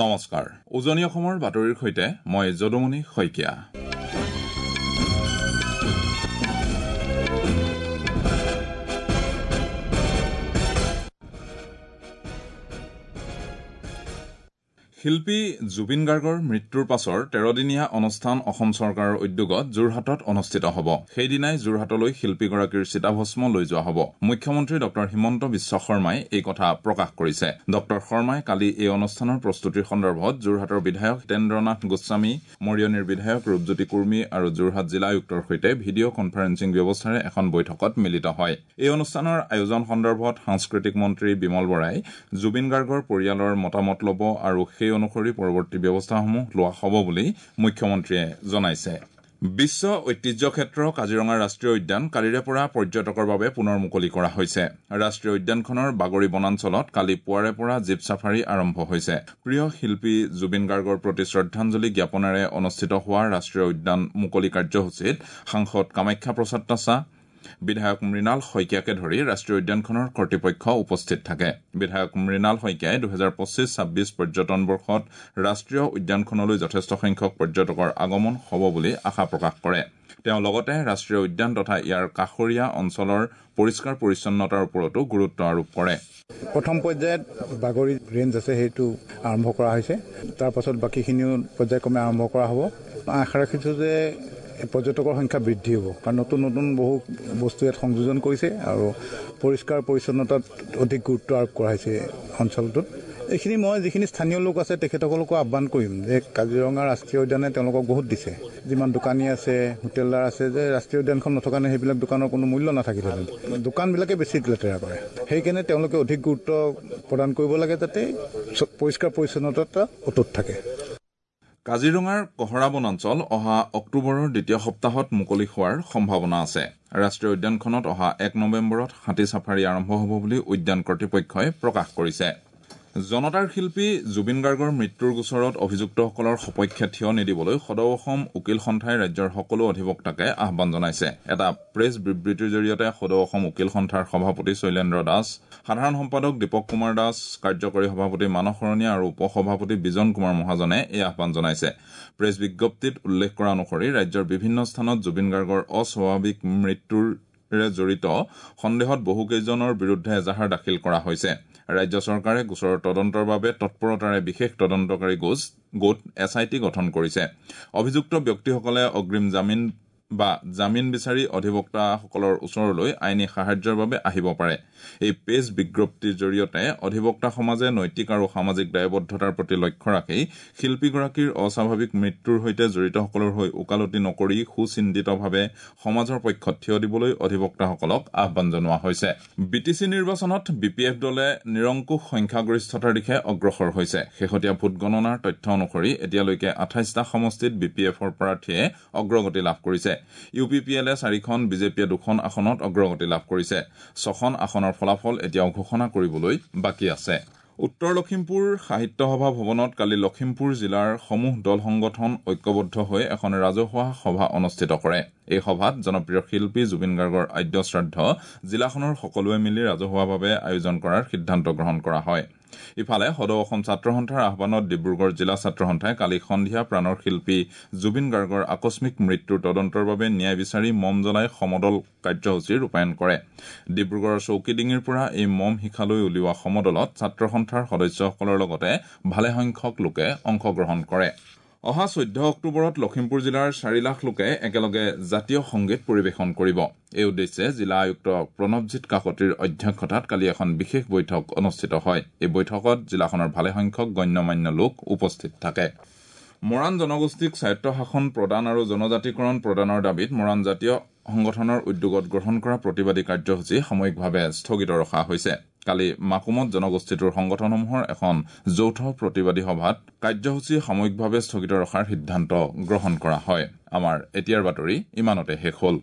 নমস্কাৰ, উজনি অসমৰ বাতৰিৰ সৈতে মই যদুমণি শইকীয়া। শিল্পী জুবিন গাৰ্গৰ মৃত্যুৰ পাছৰ ১৩দিনীয়া অনুষ্ঠান অসম চৰকাৰৰ উদ্যোগত যোৰহাটত অনুষ্ঠিত হ'ব। সেইদিনাই যোৰহাটলৈ শিল্পীগৰাকীৰ চিতাভস্ম লৈ যোৱা হ'ব। মুখ্যমন্ত্ৰী ডঃ হিমন্ত বিশ্ব শৰ্মাই এই কথা প্ৰকাশ কৰিছে। ডঃ শৰ্মাই কালি এই অনুষ্ঠানৰ প্ৰস্তুতিৰ সন্দৰ্ভত যোৰহাটৰ বিধায়ক হিতেন্দ্ৰনাথ গোস্বামী, মৰিয়নিৰ বিধায়ক ৰূপজ্যোতি কুৰ্মী আৰু যোৰহাট জিলা আয়ুক্তৰ সৈতে ভিডিঅ' কনফাৰেন্সিং ব্যৱস্থাৰে এখন বৈঠকত মিলিত হয়। এই অনুষ্ঠানৰ আয়োজন সন্দৰ্ভত সাংস্কৃতিক মন্ত্ৰী বিমল বৰাই জুবিন গাৰ্গৰ পৰিয়ালৰ মতামত ল'ব আৰু সেই অনুসৰি পৰৱৰ্তী ব্যৱস্থাসমূহ লোৱা হ'ব বুলি মুখ্যমন্ত্ৰীয়ে জনাইছে। বিশ্ব ঐতিহ্য ক্ষেত্ৰ কাজিৰঙা ৰাষ্ট্ৰীয় উদ্যান কালিৰে পৰা পৰ্যটকৰ বাবে পুনৰ মুকলি কৰা হৈছে। ৰাষ্ট্ৰীয় উদ্যানখনৰ বাগৰি বনাঞ্চলত কালি পুৱাৰে পৰা জীপ ছাফাৰী আৰম্ভ হৈছে। প্ৰিয় শিল্পী জুবিন গাৰ্গৰ প্ৰতি শ্ৰদ্ধাঞ্জলি জ্ঞাপনেৰে অনুষ্ঠিত হোৱা ৰাষ্ট্ৰীয় উদ্যান মুকলি কাৰ্যসূচীত সাংসদ কামাখ্যা প্ৰসাদ তাছা, বিধায়ক মৃণাল শইকীয়াকে ধৰি ৰাষ্ট্ৰীয় উদ্যানখনৰ কৰ্তৃপক্ষ উপস্থিত থাকে। বিধায়ক মৃণাল শইকীয়াই ২০২৫-২৬ পৰ্যটন বৰ্ষত ৰাষ্ট্ৰীয় উদ্যানখনলৈ যথেষ্ট সংখ্যক পৰ্যটকৰ আগমন হ'ব বুলি আশা প্ৰকাশ কৰে। তেওঁ লগতে ৰাষ্ট্ৰীয় উদ্যান তথা ইয়াৰ কাষৰীয়া অঞ্চলৰ পৰিষ্কাৰ পৰিচ্ছন্নতাৰ ওপৰতো গুৰুত্ব আৰোপ কৰে। প্ৰথম পৰ্যায়ত বাগৰি ৰেঞ্জ আছে, সেইটো আৰম্ভ কৰা হৈছে। তাৰ পাছত বাকীখিনিও পৰ্যায়ক্ৰমে আৰম্ভ কৰা হ'ব। আশা ৰাখিছোঁ যে পৰ্যটকৰ সংখ্যা বৃদ্ধি হ'ব, কাৰণ নতুন নতুন বহু বস্তু ইয়াত সংযোজন কৰিছে আৰু পৰিষ্কাৰ পৰিচ্ছন্নতাত অধিক গুৰুত্ব আৰোপ কৰা হৈছে অঞ্চলটোত। এইখিনি মই যিখিনি স্থানীয় লোক আছে তেখেতসকলকো আহ্বান কৰিম যে কাজিৰঙা ৰাষ্ট্ৰীয় উদ্যানে তেওঁলোকক বহুত দিছে। যিমান দোকানী আছে, হোটেলদাৰ আছে, যে ৰাষ্ট্ৰীয় উদ্যানখন নথকা কাৰণে সেইবিলাক দোকানৰ কোনো মূল্য নাথাকিলেহেঁতেন। দোকানবিলাকে বেছি লেতেৰা কৰে, সেইকাৰণে তেওঁলোকে অধিক গুৰুত্ব প্ৰদান কৰিব লাগে যাতে পৰিষ্কাৰ পৰিচ্ছন্নতা অটুট থাকে। কাজিৰঙাৰ কহৰা বনাঞ্চল অহা অক্টোবৰৰ দ্বিতীয় সপ্তাহত মুকলি হোৱাৰ সম্ভাৱনা আছে। ৰাষ্ট্ৰীয় উদ্যানখনত অহা ১ নৱেম্বৰত হাতী ছাফাৰী আৰম্ভ হ'ব বুলি উদ্যান কৰ্তৃপক্ষই প্ৰকাশ কৰিছে। জনতাৰ শিল্পী জুবিন গাৰ্গৰ মৃত্যুৰ গোচৰত অভিযুক্তসকলৰ সপক্ষে থিয় নিদিবলৈ সদৌ অসম উকীল সন্থাই ৰাজ্যৰ সকলো অধিবক্তাকে আহ্বান জনাইছে। এটা প্ৰেছ বিবৃতিৰ জৰিয়তে সদৌ অসম উকীল সন্থাৰ সভাপতি শৈলেন্দ্ৰ দাস, সাধাৰণ সম্পাদক দীপক কুমাৰ দাস, কাৰ্যকৰী সভাপতি মানস শৰণীয়া আৰু উপ সভাপতি বিজন কুমাৰ মহাজনে এই আহ্বান জনাইছে। প্ৰেছ বিজ্ঞপ্তিত উল্লেখ কৰা অনুসৰি ৰাজ্যৰ বিভিন্ন স্থানত জুবিন গাৰ্গৰ অস্বাভাৱিক মৃত্যুৰে জড়িত সন্দেহত বহুকেইজনৰ বিৰুদ্ধে এজাহাৰ দাখিল কৰা হৈছে। ৰাজ্য চৰকাৰে গোচৰৰ তদন্তৰ বাবে তৎপৰতাৰে বিশেষ তদন্তকাৰী গোট এছ I T গঠন কৰিছে। অভিযুক্ত ব্যক্তিসকলে অগ্ৰিম জামিন বা জামিন বিচাৰি অধিবক্তাসকলৰ ওচৰলৈ আইনী সাহায্যৰ বাবে আহিব পাৰে। এই পেজ বিজ্ঞপ্তিৰ জৰিয়তে অধিবক্তা সমাজে নৈতিক আৰু সামাজিক দায়বদ্ধতাৰ প্ৰতি লক্ষ্য ৰাখি শিল্পীগৰাকীৰ অস্বাভাৱিক মৃত্যুৰ সৈতে জড়িতসকলৰ হৈ ওকালতি নকৰি সুচিন্তিতভাৱে সমাজৰ পক্ষত থিয় দিবলৈ অধিবক্তাসকলক আহ্বান জনোৱা হৈছে। বি টি চি নিৰ্বাচনত বি পি এফ দলে নিৰংকুশ সংখ্যাগৰিষ্ঠতাৰ দিশে অগ্ৰসৰ হৈছে। শেহতীয়া ভোটগণনাৰ তথ্য অনুসৰি এতিয়ালৈকে ২৮টা সমষ্টিত বি পি এফৰ প্ৰাৰ্থীয়ে অগ্ৰগতি লাভ কৰিছে। ইউ পি পি এলে ৪খন, বিজেপিয়ে ২খন আসনত অগ্ৰগতি লাভ কৰিছে। ৬খন আসনৰ ফলাফল এতিয়াও ঘোষণা কৰিবলৈ বাকী আছে। উত্তৰ লখিমপুৰ সাহিত্য সভা ভৱনত কালি লখিমপুৰ জিলাৰ সমূহ দল সংগঠন ঐক্যবদ্ধ হৈ এখন ৰাজহুৱা সভা অনুষ্ঠিত কৰে। এই সভাত জনপ্ৰিয় শিল্পী জুবিন গাৰ্গৰ আদ্যশ্ৰাদ্ধ জিলাখনৰ সকলোৱে মিলি ৰাজহুৱাভাৱে আয়োজন কৰাৰ সিদ্ধান্ত গ্ৰহণ কৰা হয়। ইফালে সদৌ অসম ছাত্ৰ সন্থাৰ আহ্বানত ডিব্ৰুগড় জিলা ছাত্ৰ সন্থাই কালি সন্ধিয়া প্ৰাণৰ শিল্পী জুবিন গাৰ্গৰ আকস্মিক মৃত্যুৰ তদন্তৰ বাবে ন্যায় বিচাৰি মম জ্বলাই সমদল কাৰ্যসূচী ৰূপায়ণ কৰে। ডিব্ৰুগড়ৰ চৌকিডিঙিৰ পৰা এই মম শিখালৈ উলিওৱা সমদলত ছাত্ৰ সন্থাৰ সদস্যসকলৰ লগতে ভালেসংখ্যক লোকে অংশগ্ৰহণ কৰে। অহা ১৪ অক্টোবৰত লখিমপুৰ জিলাৰ ৪ লাখ লোকে একেলগে জাতীয় সংগীত পৰিৱেশন কৰিব। এই উদ্দেশ্যে জিলা আয়ুক্ত প্ৰণৱজিৎ কাকতিৰ অধ্যক্ষতাত কালি এখন বিশেষ বৈঠক অনুষ্ঠিত হয়। এই বৈঠকত জিলাখনৰ ভালেসংখ্যক গণ্যমান্য লোক উপস্থিত থাকে। মৰাণ জনগোষ্ঠীক স্বায়ত্তশাসন প্ৰদান আৰু জনজাতিকৰণ প্ৰদানৰ দাবীত মৰাণ জাতীয় সংগঠনৰ উদ্যোগত গ্ৰহণ কৰা প্ৰতিবাদী কাৰ্যসূচী সাময়িকভাৱে স্থগিত ৰখা হৈছে। কালি মাকুমত জনগোষ্ঠীটোৰ সংগঠনসমূহৰ এখন যৌথ প্ৰতিবাদী সভাত কাৰ্যসূচী সাময়িকভাৱে স্থগিত ৰখাৰ সিদ্ধান্ত গ্ৰহণ কৰা হয়। আমাৰ এতিয়াৰ বাতৰি ইমানতে শেষ হ'ল।